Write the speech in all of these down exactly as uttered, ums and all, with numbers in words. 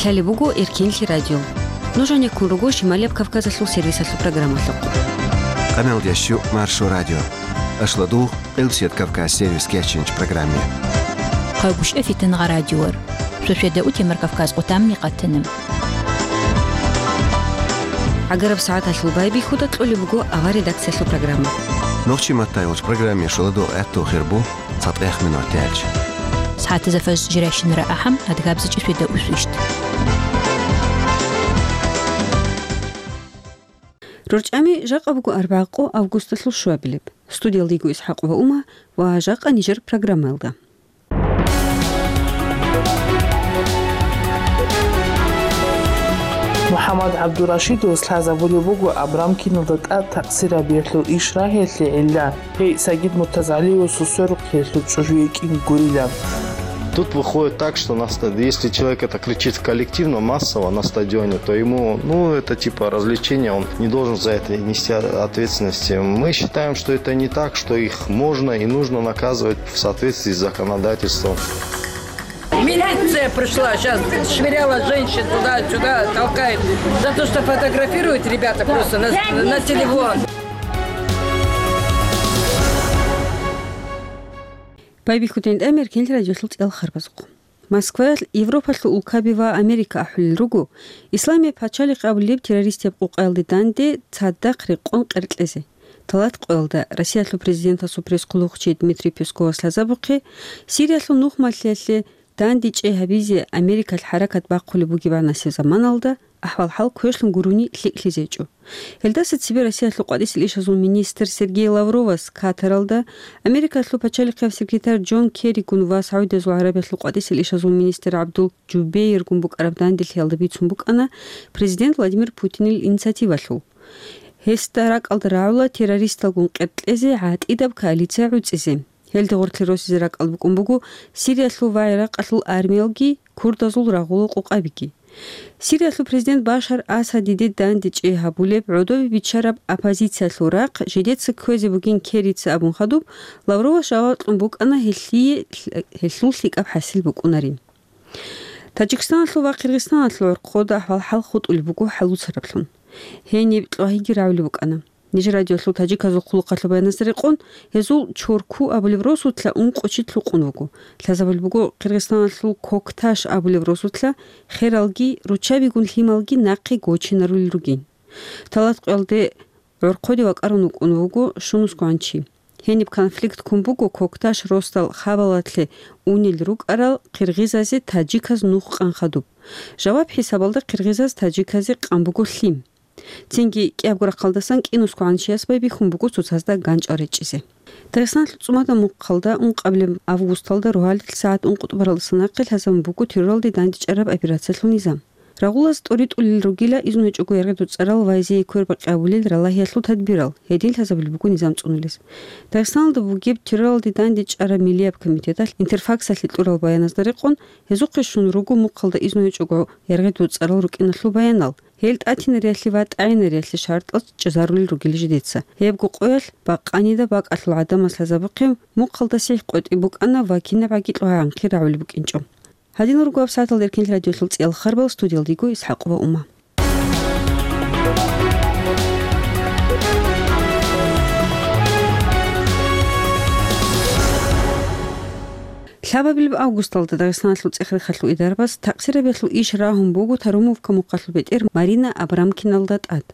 Лъалеб буго Эркенлъи радио. Нуж гьанеккун руго Шималияб Кавказалъул сервисалъул программалъухъ. Къаналдящу Маршо радио. Ашладугъ Элбсет Кавказ сервис кечинч программе. Къайгушев Фитангъа радиор. Шошведа утемар Кавказ къутамни къатана. ГӀагараб сагӀаталъул байбихьуда кьолеб буго авар редакциялъул программа. Нохчи маттай вач программе шуладо гӀатту хирбу цатӀех минут тялч. СагӀатаза фаж жиращинара ахӀам адгабзичӀи шведа усвищт. РорчӀами жакъа буго арбагъ къо августалъул шуабилеб. Студиялда йиго ИсхӀакъ ва Ума ва жакъа нижер программаялда. МухӀаммад ГӀабдурашидовас лъазабулеб буго Абрамкиналда тӀад такъсирабиялъул иш рагьиялъе гӀилла, гьей Сагид МуртазагӀалиевасул сверухъиялъул чӀужу йикӀин гурилан. Тут выходит так, что нас, если человек это кричит коллективно, массово на стадионе, то ему, ну, это типа развлечение, он не должен за это нести ответственности. Мы считаем, что это не так, что их можно и нужно наказывать в соответствии с законодательством. Милиция пришла, сейчас швыряла женщин туда-сюда, толкает. За то, что фотографируют ребята просто на, на телефон. Байбихьудин тӀамер кел радиолъул цӀел харбазухъ. Москваялъ Европалъул улкаби ва Америка ахӀулел руго, Исламияб пачалихъ абулеб террористияб къукъаялде данде цадахъ рекъон къеркьезе. Талат къоялда Россиялъул президентасул пресс-хъулухъчи Дмитрий Песковас лъазабухъе, Сириялъул нухмалъиялъе дандечӀей гьабизе Америкалъ хӀаракат бахъулеб бугебгӀанасеб заманалда ахӀвал-хӀал квешлъун гурони лъикӀлъизе гьечӀо. Гьелдаса цебе Россиялъул къватӀисел ишазул министр Сергей Лавровас Катаралда, Америкалъул пачалихъияб секретарь Джон Керригун ва СагӀудиязул ГӀарабиялъул къватӀисел ишазул министр ГӀабдул Джубейргун букӀараб данделъиялда бицун букӀана президент Владимир Путинил инициативалъул. Гьесда ракӀалда рагӀула террористалгун къеркьезе гӀатӀидаб коалиция гӀуцӀизе. Гьелде гъорлъе росизе ракӀалда букӀун буго Сириялъул ва ГӀиракъалъул армиялги, курдазул рагъулал къукъабиги. Сириялъул президент Башар Асадиде дандечӀей гьабулеб гӀодобе биччараб оппозициялъул рахъ жидеца кквезе бугин Керрица абун хадуб, Лавровас жаваб кьун букӀана гьелъие, гьелъул лъикӀаб хӀасил букӀунарин. Таджикистаналъул ва Къиргъизстаналъул гӀорхъода ахӀвал-хӀал хутӀулеб буго хӀалуцараблъун. Гьениб кьвагьиги рагӀулеб букӀана. Нижер радиолъул таджиказул хъулухъалъул баянасда рекъон, гьезул Чорку абулеб росулъа ункъо чи лъукъун вуго. Лъазабулеб буго Къиргъизстаналъул Кокташ абулеб росулъа хералги, руччабигун лъималги нахъе гочинарулел ругин. Талат къоялде гӀорхъоде вакӀарун вукӀун вуго щунусгоан чи. Гьениб конфликт ккун буго Кокташ росдал хабалалъе унел рукӀарал къиргъизазе таджиказ нух къан хадуб. Жаваб хӀисабалда къиргъизаз таджиказе къан буго лъим. Цинги кӀиябго рахъалдасан кӀинусгоан чияс байбихьун буго цоцазда ганчӀал речӀчӀизе. Дагъистаналъул ЦӀумада Мухъалда ункъабилеб августалда рогьалил сагӀат ункъо тӀубаралдаса нахъе лъазабун буго терроралде дандечӀараб операциялъул низам. Рагъулаз тӀоритӀулел ругила изну гьечӀого яргъи дуцӀарал вайзие квербакъи абулел ралагьиялъул тадбирал, гьедин лъазабулеб буго низам цӀунулес. Дагъистаналда бугеб терроралде дандечӀараб миллияб комитеталъ Интерфаксалъе кьурал баяназда рекъон, гьезухъе щун руго Мухъалда изну гьечӀого яргъи дуцӀарал рукӀиналъул баянал, гьел тӀатинариялъе ва тӀагӀинариялъе шартӀал чӀезарулел ругел жидеца. Гьебго къоялъ бакъанида бакӀалъул гӀадамаз лъазабухъе Мухъалда сихӀ къотӀи букӀана ва кинабгӀаги кьвагӀанхъи рагӀулеб букӀинчӀо. Гьадинал руго гьаб сагӀаталда Эркенлъи радиолъул цӀиял харбал, студиялда йиго ИсхӀакъ ва Ума. Лъабабилеб августалда Дагъистаналъул цӀех-рехалъул идарабаз такъсирабиялъул иш рагьун буго Тарумовка мухъалъул бетӀер Марина Абрамкиналда тӀад.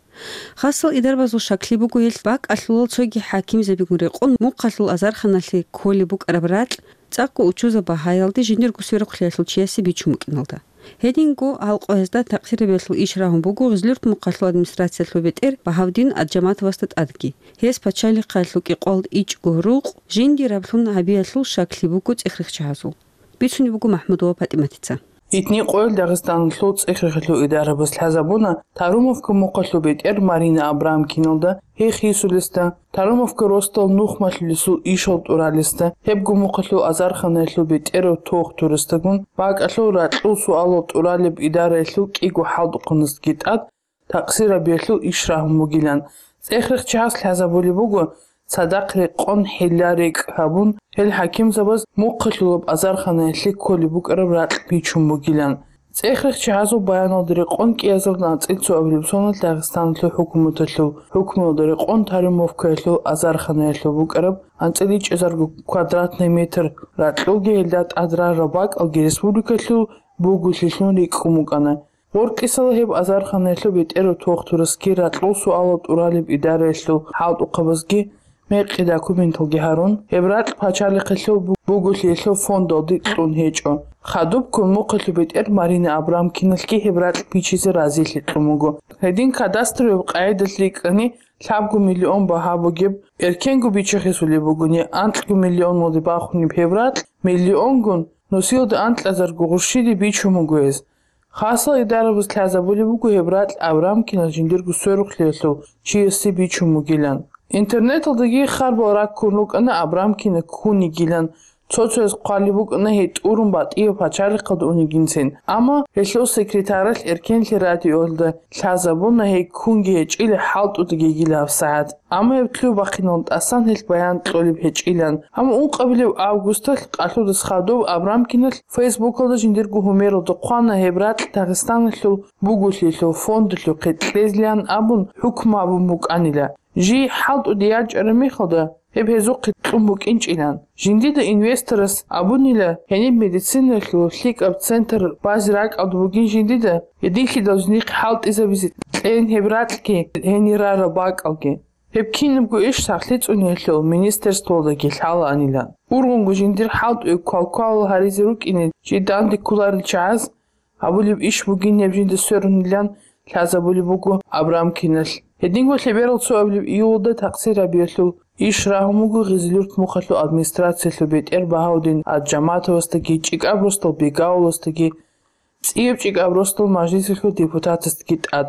Хасал идарабазул шаклъи буго гьелъ бакӀалъулал цоги хӀакимзабигун рекъон мухъалъул азарханалъе кколеб букӀараб ракь цӀакъго учузаб багьаялде жиндирго сверухълъиялъул чиясе бичун букӀиналда. Гьединго гьал къо гьезда такъсирабиялъул иш рагьун буго Гъизлюрт мухъалъул администрациялъул бетӀер Багьавдин Аджаматовасда тӀадги. Гьес пачалихъалъул кӀикъвалда ичӀго рукъ жиндираблъун гьабиялъул шаклъи буго цӀех-рехчагьазул. Бицунеб буго МахӀмудова ПатӀиматица. Итни къоял Дагъистаналъул цӀех-рехалъул идарабаз лъазабуна Тарумовка мухъалъул бетӀер Марина Абрамкиналда, гьей хисулесда, Тарумовка росдал нухмалъулесул ишал тӀуралесда, гьебго мухъалъул азарханаялъул бетӀерав тохтурасдагун, бакӀалъул ракьул суалал тӀуралеб идараялъул кӀиго хӀалтӀухъанасдаги тӀад такъсирабиялъул иш рагьун бугилан. ЦӀех-рехчагьас лъазабулеб буго, цадахъ рекъон хӀилла-рекӀкӀ гьабун, гьел хӀакимзабаз мухъалъулаб азарханаялъе кколеб букӀараб ракь бичун бугилан. ЦӀехрехъ чагӀазул баяналда рекъон кӀиазарда анцӀила цоабилеб соналъ Дагъистаналъул хӀукуматалъул хӀукмуялда рекъон Тарумовкаялъул азарханаялъул букӀараб анцӀила ичӀазарго квадратный метр ракьулги гьелда тӀад рараб бакӀалги республикалъул бугулъилъун рикӀкӀун букӀана. Гъоркьисала гьеб азарханаялъул бетӀерав тохтурасги ракьул суалал тӀуралеб идараялъул хӀалтӀухъабазги мекъи документалги гьарун, гьеб ракь пачалихъалъул бу-, бугулъиялъул фондалде кьун гьечӀо. Хадуб ккун мухъалъул бетӀер Марина Абрамкиналъги гьеб ракь бичизе разилъи кьун буго. Гьедин кадастровый къагӀидалъ рикӀкӀани, лъабго миллион багьа бугеб, эркенго бичахъесулеб бугони, анкьго миллионалде бахунеб гьеб ракь, миллионгун, нусиялда анкьазарго гъурщиде бичун буго гьез. Хасал идарабаз лъазабулеб буго гьеб ракь Абрамкинал жиндирго сверухълъиялъул чиясе бичун бугилан. Интернеталдаги харбал раккун рукӀана Абрамкина ккун йигилан, цо-цояз хъвалеб букӀана гьей тӀурун батӀияб пачалихъалда унигинцин. Амма гьелъул секретаралъ эркенлъи радиоялда лъазабуна гьей ккунги гьечӀила хӀалтӀудаги йигила гьабсагӀат. Амма гьеб лъугьа-бахъинал тӀасан гьелъ баян кьолеб гьечӀилан. Амма ункъабилеб августалъ къалъудас хадуб Абрамкиналъ Фейсбукалда жиндирго гьумералда хъвана гьеб ракь Дагъистаналъул бугулъиялъул фондалъухъе кьезилан абун хӀукму гьабун букӀанила. Жий хӀалтӀуде ячӀараб мехалда гьеб гьезухъе кьун букӀинчӀилан. Жиндида инвесторас абунила гьениб медицинаялъул лъикӀаб центр базе ракӀалда бугин жиндида, гьединлъидал жиндихъе хӀалтӀизабизе кьейин гьеб ракьги гьенир рараб бакӀалги. Гьеб кинабго иш сахлъи цӀуниялъул министерствоялдаги лъалаанилан. Ургъунго жиндир хӀалтӀуе квалквалал гьаризе рукӀине жий данде кколарел чагӀаз гьабулеб иш бугин гьеб жинда сверунилан лъазабулеб буго Абрамкиналъ. Гьединго лъеберал цоабилеб июлалда такъсир гьабиялъул иш рагьун буго Гъизилюрт мухъалъул администрациялъул бетӀер Багьаудин Аджаматовасдаги, ЧӀикӀаб росдал Бегауласдаги, цӀияб ЧӀикӀаб росдал мажлисалъул депутатасдаги тӀад.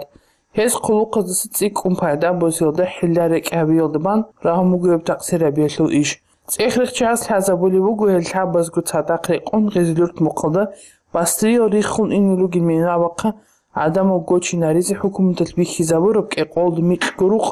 Гьез хъулухъаздаса цӀикӀкӀун пайда босиялда хӀилла-рекӀкӀ гьабиялда бан рагьун буго гьеб такъсир гьабиялъул иш. ЦӀехрехъ чагӀаз лъазабулеб буго гьел лъабазго цадахъ рекъон Гъизилюрт мухъалда басриял риххун ине ругел минабахъа гӀадамал гочинаризе хӀукуматалъ бихьизабураб кӀикъоялда микьго рукъ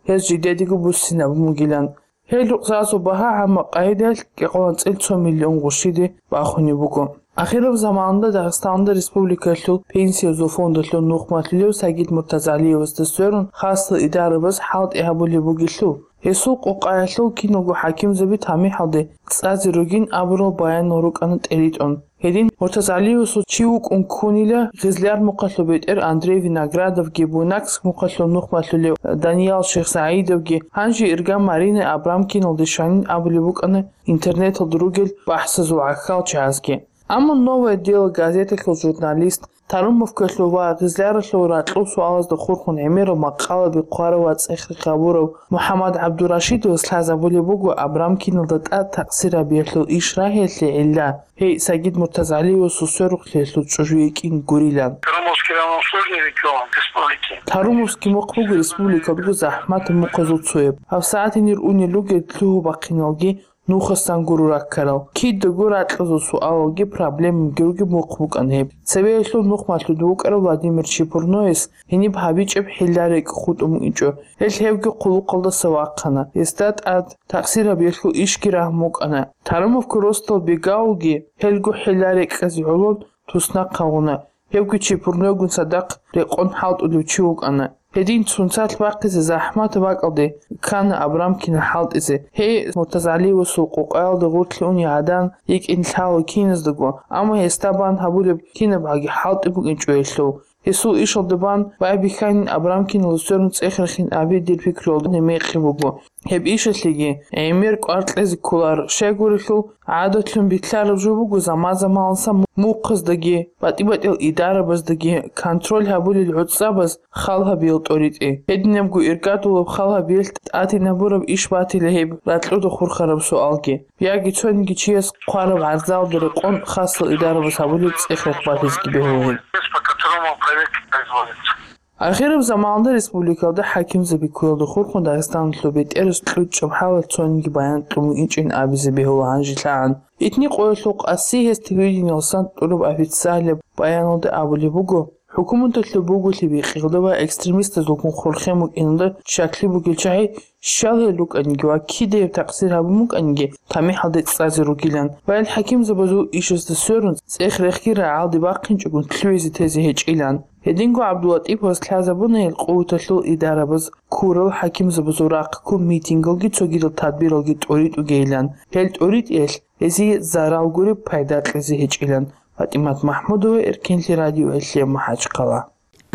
гьез жидедаго буссинабун бугилан. Гьел рукъзазул багьа гӀамма къайдаялъ кӀикъоялда анцӀила цо миллион гъурщиде бахунеб буго. Ахираб заманалда Дагъистаналда республикаялъул пенсиязул фондалъул нухмалъулев Сагид Муртазалиевасда сверун хасал идарабаз хӀалтӀи гьабулеб бугелъул, гьесул къокъаялъул киналго хӀакимзаби тамихӀалде цӀазе ругин абурал баянал рукӀана тӀеритӀун. Гьедин Муртазалиевасул чи вукӀун ккунила Гъизляр мухъалъул бетӀер Андрей Виноградовги, Буйнакск мухъалъул нухмалъулев Даниял Шихсагьидовги, гьанже ирга Марина Абрамкиналде щванин абулеб букӀана интернеталда ругел бахӀсазул гӀахьал чагӀазги. Амма «Новое дело» газеталъул журналист, Тарумовкалъул ва Гъизляралъул ракьул суалазда хурхун гӀемерал макъалаби хъварав ва цӀехрехъ гьабурав МухӀаммад ГӀабдурашидовас лъазабулеб буго Абрамкиналда тӀад такъсир гьабиялъул иш рагьиялъе гӀилла. Гьей, Сагид Муртазалиевасул сверухълъиялъул чӀужу йикӀин гурилан. Тарумовский район сложный регион республики. Тарумовский мухъ буго республикалдаго захӀматаб мухъазул цояб. ГьабсагӀат гьенир унел ругел лъугьа-бахъиналги нухасан гуро раккарал. Кидаго ракьазул суалалги проблемаги ругеб мухъ букӀана гьеб. Цебеялъул нухмалъулда вукӀарав Владимир Чепурнояс гьениб гьабичӀеб хӀилла-рекӀкӀ хутӀун букӀинчӀо. Гьел гьевги хъулухъалдаса вахъана. Гьесда тӀад такъсир гьабиялъул ишги рагьун букӀана. Тарумовка росдал Бегаулги гьелго хӀилла-рекӀкӀазе гӀоло туснахъ гьавуна. Гьевги Чепурнойгун цадахъ рекъон хӀалтӀулев чи вукӀана. Гьедин цунцалъ бахъизе захӀмат бакӀалде ккана Абрамкина хӀалтӀизе. Гьей, Муртазалиевасул къокъаялда гъорлъе уней гӀадан йикӀин лъала киназдаго, амма гьесда бан гьабулеб кинаб гьаги хӀалтӀи букӀинчӀо гьелъул. Гьесул ишалда бан байбихьанин Абрамкиналда сверун цӀех рехин аби дир пикруялда мекъи буго. Гьеб ишалъеги гӀемер кӀвар кьезе кколар, щайгурелъул гӀадатлъун битӀараб жо буго заман-заманалса мухъаздаги, батӀи-батӀиял идарабаздаги контроль гьабулел гӀуцӀабаз хал гьабиял тӀоритӀи. Гьединабго иргадулаб хал гьабиялъ тӀадинабураб иш батила гьеб ракьуда хурхараб суалги. Яги цониги чияс хъвараб гӀарзалда рекъон хасал идарабаз гьабулеб цӀех рехбалъизеги бегьула гьеб. По которому проверка производится. Ахираб заманалда республикалда хӀакимзаби ккуялда хурхун Дагъистаналъул бетӀерас кьучӀаб хӀалалъ цониги баян кьун букӀинчӀин абизе бегьула гьанжелъагӀан. Итни къоялъул къаси гьес телевидениялдасан тӀураб официалияб баяналда абулеб буго, ХӀукуматалъул буголъи бикъиялда ва экстремистазулгун хурхен букӀиналда щаклъи бугел чагӀи щал гьел рукӀаниги ва кидаяб такъсир гьабун букӀаниги тамихӀалде цӀазе ругилан ва гьел хӀакимзабазул ишазда сверун цӀех-рехги рагӀалде бахъинчӀогун лъугӀизе тезе гьечӀилан. Гьединго ГӀабдуллатӀиповас лъазабуна гьел къуваталъул идарабаз ккурал хӀакимзабазул рахъ ккун митингалги цогидал тадбиралги тӀуритӀугейилан. Гьел тӀуритӀиялъ гьезие зарал гуреб пайда кьезе гьечӀилан. ПатӀимат МахӀмудова, Эркенлъи радио, Гьелъев, МахӀачхъала.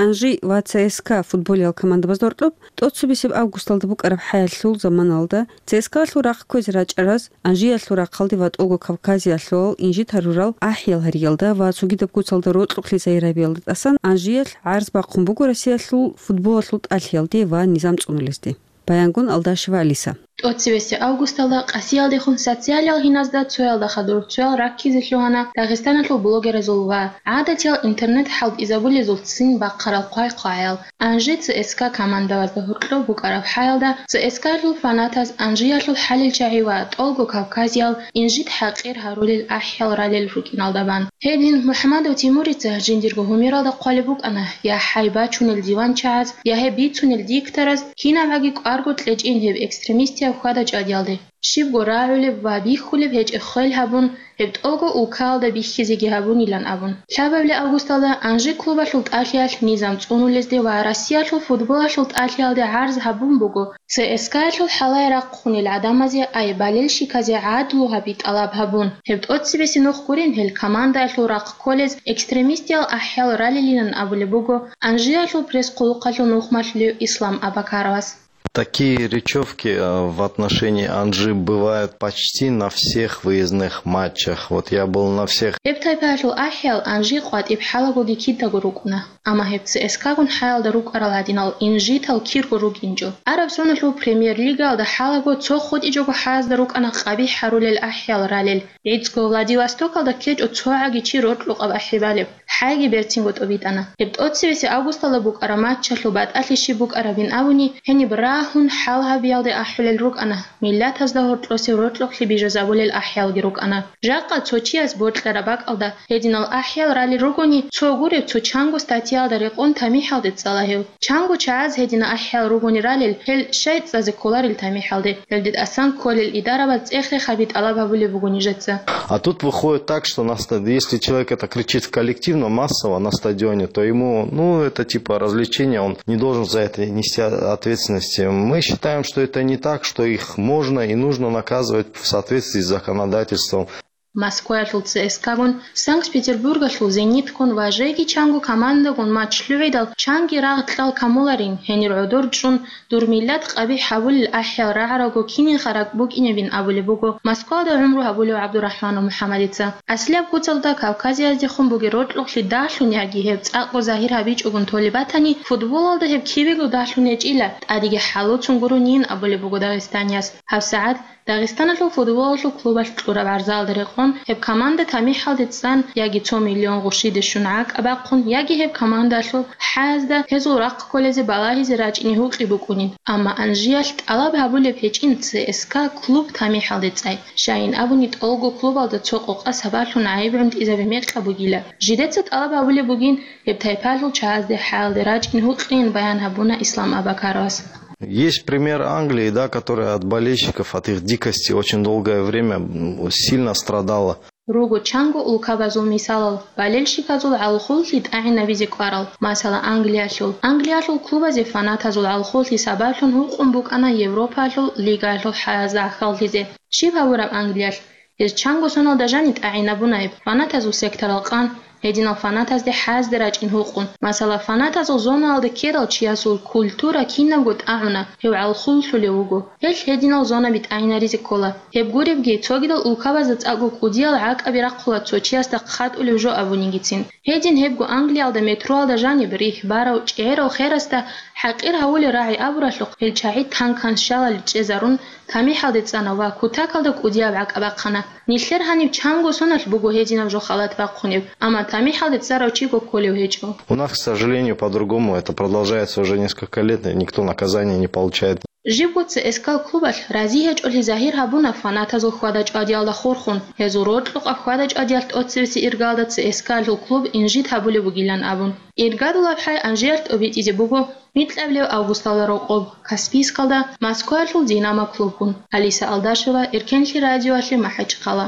Анжи ва ЦСКА футболиял командабазда гьоркьоб тӀоцебесеб августалда букӀараб хӀаялъул заманалда ЦСКАлъул рахъ кквезе рачӀараз Анжиялъул рахъалде ва ТӀолго Кавказиялъул инжит гьарурал ахӀиял гьариялда ва цогидаб куцалда рокьукълъи загьир гьабиялда тӀасан Анжиялъ гӀарз бахъун буго Россиялъул футболалъул тӀалъиялде ва низам цӀунулезде. Баянгун Алдашева Алиса. ТӀоцебесеб августалда Къасиялдехун социалиял гьиназда цоялда хадур цоял раккизе лъугьана Дагъистаналъул блогеразул ва гӀадатиял интернет хӀалтӀизабулезул ццин бахъарал хъвай-хъвагӀаял. Анжи ЦСКА командабазда гьоркьоб букӀараб хӀаялда, ЦСКАлъул фанатаз Анжиялъул хӀалил чагӀи ва ТӀолго Кавказиял инжит хӀакъир гьарулел ахӀиял ралел рукӀиналда бан. Гьедин МухӀамадов Тимурица жиндирго гьумералда хъвалеб букӀана: «Я хӀай бачунел диванчагӀаз, я гьеб бицунел диктораз, кинабгӀаги кӀварго кьечӀин гьеб экстремистияб хьвада-чӀвадиялде. Щибго рагӀулеб ва бихьулеб гьечӀеб хвел гьабун, гьеб тӀолго улкаялда бихьизеги гьабунилан», – абун. Лъабабилеб августалда Анжи клубалъул тӀалъиялъ низам цӀунулезде ва Россиялъул футболалъул тӀалъиялде гӀарз гьабун буго ЦСКАялъул хӀалае рахъунел гӀадамазе, ай болельщиказе гӀадлу гьаби тӀалаб гьабун. Гьеб тӀоцебесеб нух гурин гьел командаялъул рахъ кколез экстремистиял ахӀиял ралилилан абулеб буго Анжиялъул пресс-хъулухъалъул нухмалъулев Ислам Абакаровас. Такие речевки, э, в отношении Анжи бывают почти на всех выездных матчах. Вот я был на всех. Гьеб тайпаялъул ахӀиял Анжи къватӀиб хӀалагоги кидаго рукӀуна. Амма гьеб ЦСКАгун хӀаялда рукӀарал гьадинал инжитал кирго рукӀинчӀо. Араб соналъул премьер-лигаялда хӀалаго цо хутӀичӀого хӀаязда рукӀана къабихӀ гьарулел ахӀиял ралел. ГӀицӀго Владивостокалда ккечӀо цогӀаги чи рокьукъаб ахӀи балеб. ХӀайги берцинго тӀобитӀана. Гьеб тӀоцебесеб августалда букӀараб матчалъул батӀалъи щиб букӀарабин абуни, гьениб рагьун хӀал гьабиялде ахӀулел рукӀана, миллатазда гьоркьосев рокьукълъи бижазабулел ахӀиялги рукӀана. Жакъа цо чияс бокьараб бакӀалда гьединал ахӀиял ралел ругони, цо гуреб цо чанго статьяялда рекъон тамихӀалде цӀала гьев. Чанго чагӀаз гьединал ахӀиял ругони ралел, гьел щай цӀазе кколарел тамихӀалде, гьелде тӀасан кколел идарабаз цӀех-рех гьаби тӀалаб гьабулеб буго нижеца. А тут выходит так, что на ста-, если человек это кричит в коллективном, массово на стадионе, то ему, ну, это типа развлечение, он не должен за это нести ответственности. Мы считаем, что это не так, что их можно и нужно наказывать в соответствии с законодательством. Москваялъул ЦСКАгун, Санкт-Петербургалъул Зениткун ва жеги чанго командагун матч лъугӀидал, чанги рагъ кьал камуларин, гьенир гӀодор чӀун, дур миллат къабихӀ гьабулел ахӀиял рагӀаралго кинин харак букӀинебин абулеб буго Москвада гӀумру гьабулев ГӀабдурахӀманов МухӀаммадица. Аслияб куцалда Кавказияздехун бугеб рокьукълъи дагьлъун яги гьеб цӀакъго загьир гьабичӀогун толеб батани, футболалда гьеб кибего дагьлъун гьечӀила, тӀадеги хӀалуцун гуронин абулеб буго дагъистанияс. ГьабсагӀат Дагъистаналъул футболалъул клубалъ кьураб гӀарзалда рекъон, гьеб команда тамихӀалде цӀан яги цо миллион гъушиде щун гӀакӀа бахъун, яги гьеб командалъул хӀаязда гьезул рахъ кколезе балагьизе рачӀине гьукъи букӀунин. Амма Анжиялъ тӀалаб гьабулеб гьечӀин ЦСКА клуб тамихӀалде цӀай. Щайин абуни, ТӀолго клубалда цо къокъа сабаблъун гӀайиб гӀунтӀизаби мекъаб бугила. Жидеца тӀалаб гьабулеб бугин гьеб тайпалъул чагӀазде хӀаялде рачӀин гьукъин, баян гьабуна Ислам Абакаровас. Есть пример Англии, да, которая от болельщиков, от их дикости очень долгое время, м, сильно страдала. Руго чанго улкабазул мисалал, болельщиказул гӀалхуллъи тӀагӀинабизе кӀварал, масала, Англиялъул. Англиялъул клубазе фанатазул гӀалхуллъи сабаблъун гьукъун букӀана Европаялъул лигаялъул хӀаязда гӀахьаллъизе. Щиб гьабураб Англиялъ? Гьез чанго соналда жани тӀагӀинабунаиб, фанатазул секторал къан, гьединал фанатазде хӀаязде рачӀин гьукъун. Масала, фанатазул зонаялда ккедал чиясул культура кинабго тӀагӀуна, гьев гӀалхуллъулев вуго. Гьелъ гьединал зонаби тӀагӀинаризе ккола. Гьеб гуребги, цогидал улкабазда цӀакъго кӀудиял гӀакӀаби рахъула цо чиясда хъатӀулев жо абунигицин. Гьедин гьебго Англиялда метроялда жаниб рихь барав чӀегӀерав херасда хӀакъир гьавулел рагӀи абуралъухъ, гьел чагӀи танкан щалали чӀезарун, тамихӀалде цӀана ва кутакалда кӀудияб гӀакӀа бахъана. Нилъер гьаниб чанго соналъ буго гьединаб жо халат бахъунеб, амма тамихӀалде цӀарав чиго кколев гьечӀо. У нас, к сожалению, по-другому это продолжается уже несколько лет, и никто наказания не получает. Жибго ЦСКА-л клубалъ рази гьечӀолъи загьир гьабуна фанатазул хьвада-чӀвадиялда хурхун, гьезул рокьукъаб хьвада-чӀвадиялъ тӀоцебесеб иргалда ЦСКА-лъул клуб инжит гьабулеб бугилан абун. Иргадулаб хӀай Анжиялъ тӀобитӀизе буго микьабилеб августалда рокъоб Каспийскалда Москваялъул Динамо клубгун. Алиса Алдашева, Эркенлъи радиоялъе, МахӀачхъала.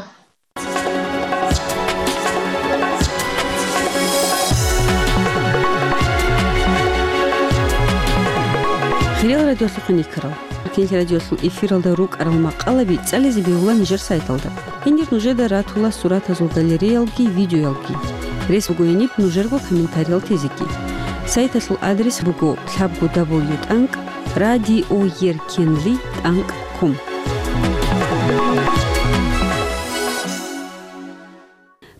Хириял радиолъухъ никарал. Эркенлъи радиолъул эфиралда рукӀарал макъалаби цӀализе бегьула нижер сайталда. Гьенир нужеда ратула суратазул галереялги, видеоялги. Рес буго гьениб нужерго комментариял тезеги. Сайталъул адрес буго лъабго дабл ю тӀанкӀ радиоеркенли тӀанкӀ ком.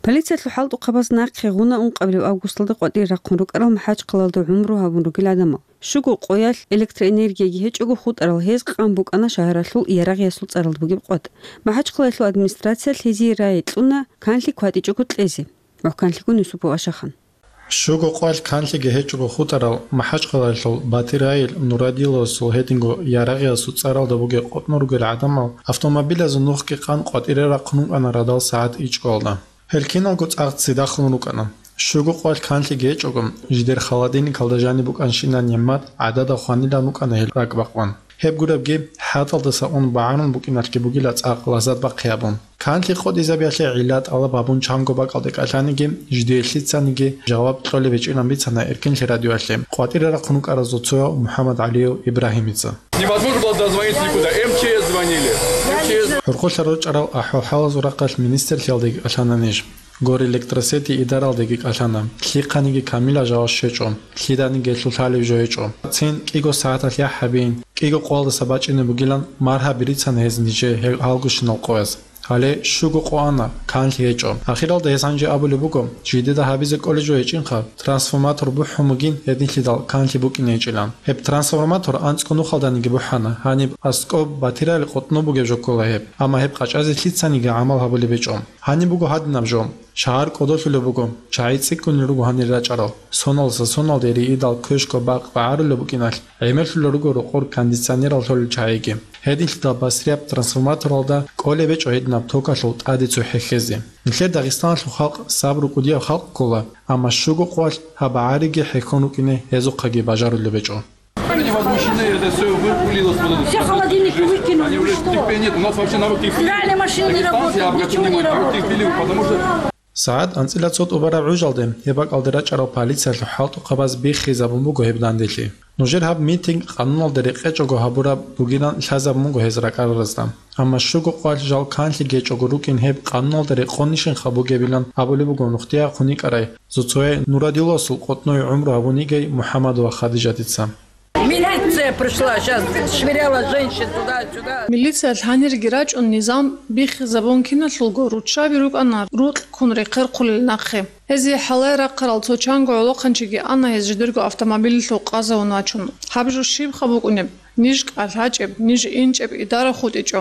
Полициялъул хӀалтӀухъабаз нахъе гъуна ункъабилеб августалда къватӀире рахъун рукӀарал МахӀачхъалалда гӀумру гьабун ругел гӀадамал. Щуго къоялъ электроэнергияги гьечӀого хутӀарал гьез къан букӀана шагьаралъул Ярагъиясул цӀаралда бугеб къватӀ. МахӀачхъалаялъул администрациялъ гьезие рагӀи кьуна канлъи кватӀичӀого кьезе. МухӀканлъигун Юсупов Ашахан. Щуго къоялъ канлъиги гьечӀого хутӀарал МахӀачхъалаялъул Батирайил Нурадиловасул гьединго Ярагъиясул цӀаралда бугеб къотӀнун ругел гӀадамал автомобилазул нухги къан къватӀире рахъун рукӀана радал сагӀат ичӀоялда. Гьел киналго цӀакъ цидахун рукӀана. Щуго къоялъ канлъиги гьечӀого, жидер холодильникалда жаниб букӀанщинаб нигӀмат гӀадада хванилан рукӀана гьел ракӀбакъван. Гьеб гуребги, хӀатӀалдаса ун багӀарун букӀиналъги бугила цӀакъ лаззат бахъи гьабун. Канлъи къотӀизабиялъе гӀилла тӀалаб гьабун чанго бакӀалде кӀалъаниги, жидее лъицаниги жаваб кьолеб гьечӀилан бицана Эркенлъи радиоялъе къватӀире рахъун рукӀаразул цояв МухӀаммад ГӀалиев Ибрагьимица. Невозможно было дозвониться никуда. МЧС звонили. МЧС. ХӀурхъулъа ручӀарал ахӀвал-хӀалазул рахъалъ министрлъиялдаги кӀалъана ниж. Горе-Электросети идаралдаги кӀалъана. Лъихъаниги камилаб жаваб щвечӀо. Лъиданиги гьелъул лъалеб жо гьечӀо. Цин кӀиго сагӀаталъ яхӀ гьабин, кӀиго къоялдаса бачӀине бугилан маргьаби рицана гьез нижее гьел гьалгущинал къояз. Гьале щуго къо ана, канлъи гьечӀо. Ахиралда гьес гьанже абулеб буго, жидеда гьабизе кӀолеб жо гьечӀинха, трансформатор бухӀун бугин гьединлъидал канлъи букӀине гьечӀилан. Гьеб трансформатор анцӀго нухалданиги бухӀана, гьаниб аскӀоб Батирайил къотӀнун бугеб жо ккола гьеб, амма гьеб къачӀазе лъицаниги гӀамал гьабулеб гьечӀо. Гьаниб буго гьадинаб жо. Шагьар кӀодолъулеб буго, чагӀи цӀикӀкӀунел руго гьанир рачӀарал. Соналдаса соналде риидал квешго бакъ багӀарулеб букӀиналъ, гӀемерлъулел руго рокъор кондиционерал лъолел чагӀиги. Гьединлъидал басрияб трансформаторалда кӀолеб гьечӀо гьединаб токалъул тӀаде цохӀо хьезе. Нилъер Дагъистаналъул халкъ сабру кӀудияб халкъ ккола, амма щуго къоялъ гьаб багӀариги хӀехьон рукӀине гьезухъаги бажарулеб гьечӀо. Они возмущены, это всё вылилось вот это. Все холодильники выкинули, вы что? Терпения нет, у нас вообще народ терпеливый. Стиральная машина не работает, ничего не работает. Потому что СагӀат анцӀила цо тӀубараб гӀужалде гьеб бакӀалде рачӀарал полициялъул хӀалтӀухъабаз биххизабун буго гьеб данделъи. Нужер гьаб митинг къануналда рекъечӀого гьабураб бугилан лъазабун буго гьез ракӀараразда. Амма щуго къоялъ жал канлъи гьечӀого рукӀин гьеб къануналда рекъонищинха бугебилан абулеб буго нухде яхъун йикӀарай Зуцояй Нурадиловасул къотӀнуй гӀумру гьабун йигей МухӀаммадова Хадижатица. Милиция пришла, щас швыряла женщин туда-сюда. Милициялъ гьанирги рачӀун низам биххизабун киналъулго руччаби рукӀана рукь ккун рехъерхъулел нахъе. Гьезие хӀалае рахъарал цо чанго гӀолохъанчиги ана гьез жидерго автомобилалъув къазавун вачун. Гьаб жо щибха букӀунеб? Ниж кӀалъачӀеб, ниж инчӀеб идара хутӀичӀо.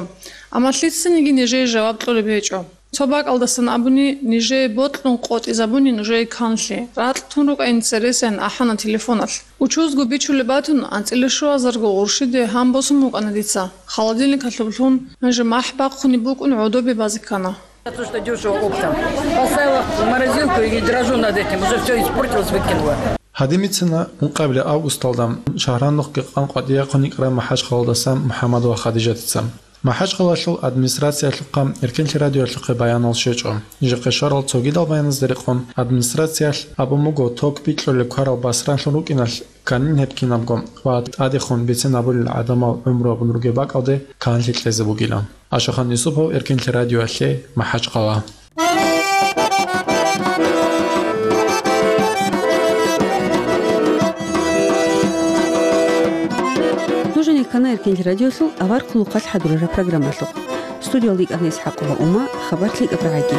Амма лъицаниги нижее жаваб кьолеб гьечӀо. Цо бакӀалдасан абуни, нижее бокьун къотӀизабуни нужее канлъи, ракь тун рукӀа интересаян ахӀана телефоналъ. Учузго бичулеб батун, анцӀила щуазарго гъурщиде гьан босун букӀана дица. Холодильникалъуб лъун, гьанже махӀ бахъунеб букӀун гӀодобе базе ккана. Я то, что дёшево оптом. Поставила в морозилку и дрожу над этим. Уже всё испортилось, выкинула. Гьадин бицана ункъабилеб августалда шагьаралда нухги къан къватӀире рахъун йикӀарай МахӀачхъалалдасан МухӀаммадова Хадижатица. МахӀачхъалалъул администрациялъухъа Эркенлъи радиоялъухъе баянал щвечӀо. Нижехъе щварал цогидал баяназда рекъон администрациялъ абун буго ток бикьулел кварал басранлъун рукӀиналъ кканин гьеб кинабго ва тӀадехун бицен абулел гӀадамал гӀумру гьабун ругеб бакӀалде канлъи кьезе бугилан. Ашахан Юсупов, Эркенлъи радиоялъе, МахӀачхъала. Нуж гьанир ккана Эркенлъи радиолъул авар хъулухъалъ хӀадурараб программалъухъ. Студиялда йикӀана ИсхӀакъова Ума, хабар лъикӀаб рагӀаги.